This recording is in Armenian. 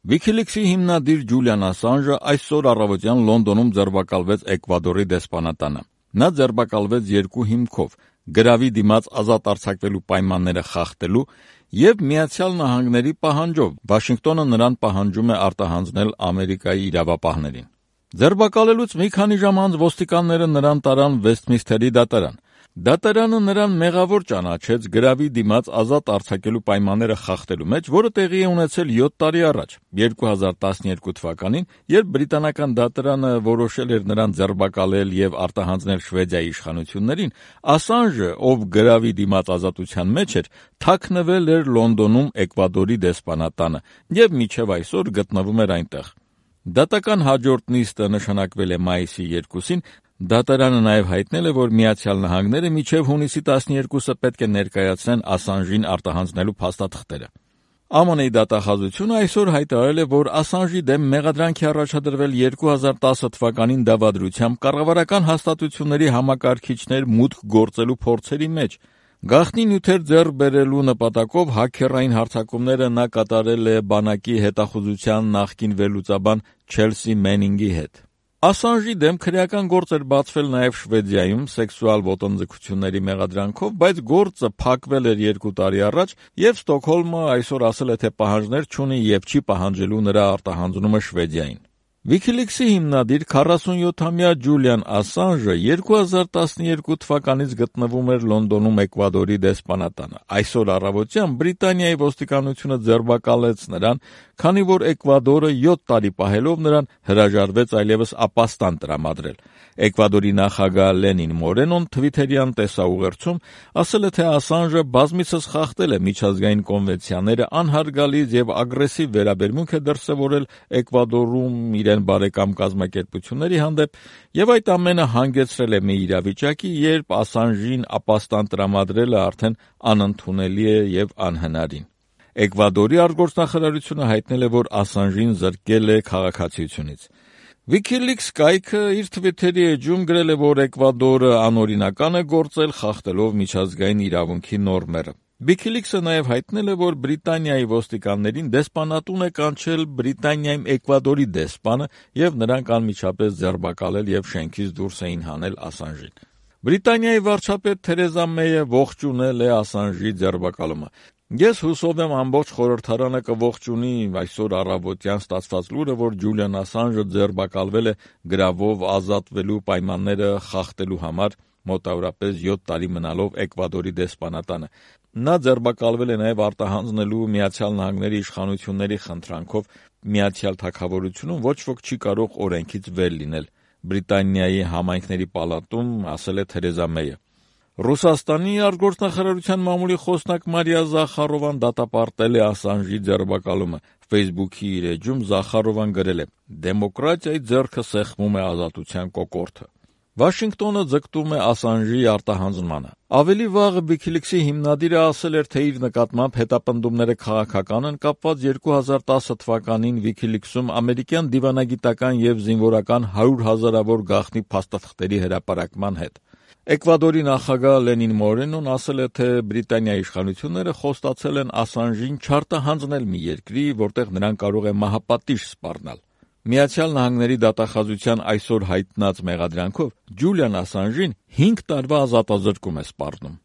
WikiLeaks-ի հիմնադիր Ջուլիան Ասանժը այսօր առավոտյան Լոնդոնում ձերբակալվեց Էկվադորի դեսպանատանը։ Նա ձերբակալվեց երկու հիմքով՝ գրավի դիմաց ազատ արձակվելու պայմանները խախտելու եւ Միացյալ Նահանգների պահանջով։ Վաշինգտոնը նրան պահանջում է արտահանձնել Ամերիկայի իրավապահներին։ Ձերբակալելուց մի քանի ժամ անց ոստիկանները նրան տարան Վեսթմինսթերի դատարան։ Դատարանը նրան մեղավոր ճանաչեց գրավի դիմաց ազատ արձակելու պայմանները խախտելու մեջ, որը տեղի է ունեցել 7 տարի առաջ, 2012 թվականին, երբ բրիտանական դատարանը որոշել էր նրան ձերբակալել եւ արտահանձնել Շվեդիայի իշխանություններին, Ասանժը, ով գրավի դիմաց ազատության մեջ էր, թաքնվել էր Լոնդոնում Էկվադորի դեսպանատանը եւ մինչեւ այսօր գտնվում էր այնտեղ։ Դատական հաջորդ նիստը նշանակվել է մայիսի 2-ին, դատարանը նաև հայտնել է, որ Միացյալ Նահանգները մինչև հունիսի 12-ը պետք է ներկայացնեն Ասանժին արտահանձնելու փաստաթղթերը։ ԱՄՆ-ի դատախազությունը այսօր հայտարարել է, որ Ասանժի դեմ մեղադրանք է առաջադրվել 2010 թվականին դավադրությամբ կառավարական հաստատությունների համակարգիչներ մուտք գործելու փորձերի մեջ։ Գաղտնի նյութեր ձեռք բերելու նպատակով հաքերային հարձակումները նա կատարել է բանակի հետախուզության նախկին վերլուծաբան Չելսի Մենինգի հետ։ Ասանժի դեմ քրեական գործ էր բացվել նաև Շվեդիայում սեքսուալ ոտնձգությունների մեղադրանքով, բայց գործը փակվել էր 2 տարի առաջ, եւ Ստոկհոլմը այսօր ասել է, թե պահանջներ չունի եւ չի պահանջելու նրա արտահանձնումը Շվեդիային։ WikiLeaks-ի հիմնադիր 47-ամյա Ջուլիան Ասանժը 2012 թվականից գտնվում էր Լոնդոնում Էկվադորի դեսպանատանը։ Այսօր առավոտյան Բրիտանիայի ոստիկանությունը ձերբակալեց նրան, քանի որ Էկվադորը 7 տարի պահելով նրան հրաժարվեց այլևս ապաստան տրամադրել։ Էկվադորի նախագահ Լենին Մորենոն Թվիթերյան տեսաուղերձում ասել է, թե Ասանժը բազմիցս խախտել է միջազգային կոնվենցիաները, անհարգալից եւ ագրեսիվ վերաբերմունք է դրսեւորել Էկվադորում իրեն բարեկամ կազմակերպությունների հանդեպ եւ այդ ամենը հանգեցրել է մի իրավիճակի, երբ Ասանժին ապաստան տրամադրելը արդեն անընդունելի է եւ անհնարին։ Էկվադորի արտգործնախարարությունը հայտնել է, որ Ասանժին զրկել է քաղաքացիությունից։ WikiLeaks կայքը իր Twitter-ի էջում գրել է, որ Էկվադորը անօրինական է գործել, խախտելով միջազգային իրավունքի նորմերը։ WikiLeaks-ը նաև հայտնել է, որ Բրիտանիայի ոստիկաններին դեսպանատուն է կանչել Բրիտանիայում Էկվադորի դեսպանը եւ նրանք անմիջապես ձերբակալել եւ շենքից դուրս էին հանել Ասանժին։ Բրիտանիայի վարչապետ Թերեզա Մեյը ողջունել է Ասանժի ձերբակալումը։ Ես հուսով եմ ամբողջ խորհրդարանը կողջունի այսօր առավոտյան ստացված լուրը, որ Ջուլիան Ասանժը ձերբակալվել է գրավով ազատվելու պայմանները խախտելու համար, մոտավորապես 7 տարի մնալով Էկվադորի դեսպանատանը։ Նա ձերբակալվել է նաև արտահանձնելու Միացյալ Նահանգների իշխանությունների խնդրանքով Միացյալ Թագավորությունում ոչ ոք չի կարող օրենքից վեր լինել, Բրիտանիայի համայնքների պալատում ասել է Թերեզա Մեյը։ Ռուսաստանի արտգործնախարարության մամուլի խոսնակ Մարիա Զախարովան դատապարտել է Ասանժի ձերբակալումը։ Facebook-ի իր էջում Զախարովան գրել է. «Դեմոկրատիայի ձեռքը սեղմում է ազատության կոկորդը»։ Վաշինգտոնը ձգտում է Ասանժի արտահանձնմանը։ Ավելի վաղ WikiLeaks-ի հիմնադիրը ասել էր, թե իր նկատմամբ հետապնդումները քաղաքական են, կապված 2010 թվականին WikiLeaks-ում ամերիկյան դիվանագիտական եւ զինվորական 100 հազարավոր գաղտնի փաստաթղթերի հրապարակման հետ։ Էկվադորի նախագահ Լենին Մորենոն ասել է, թե Բրիտանիայի իշխանությունները խոստացել են Ասանժին չարտահանձնել մի երկրի, որտեղ նրան կարող է մահապատիժ սպառնալ։ Միացյալ Նահանգների դատախազության այսօր հայտնած մեղադրանքով Ջուլիան Ասանժին 5 տարվա ազատազրկում է սպառնում։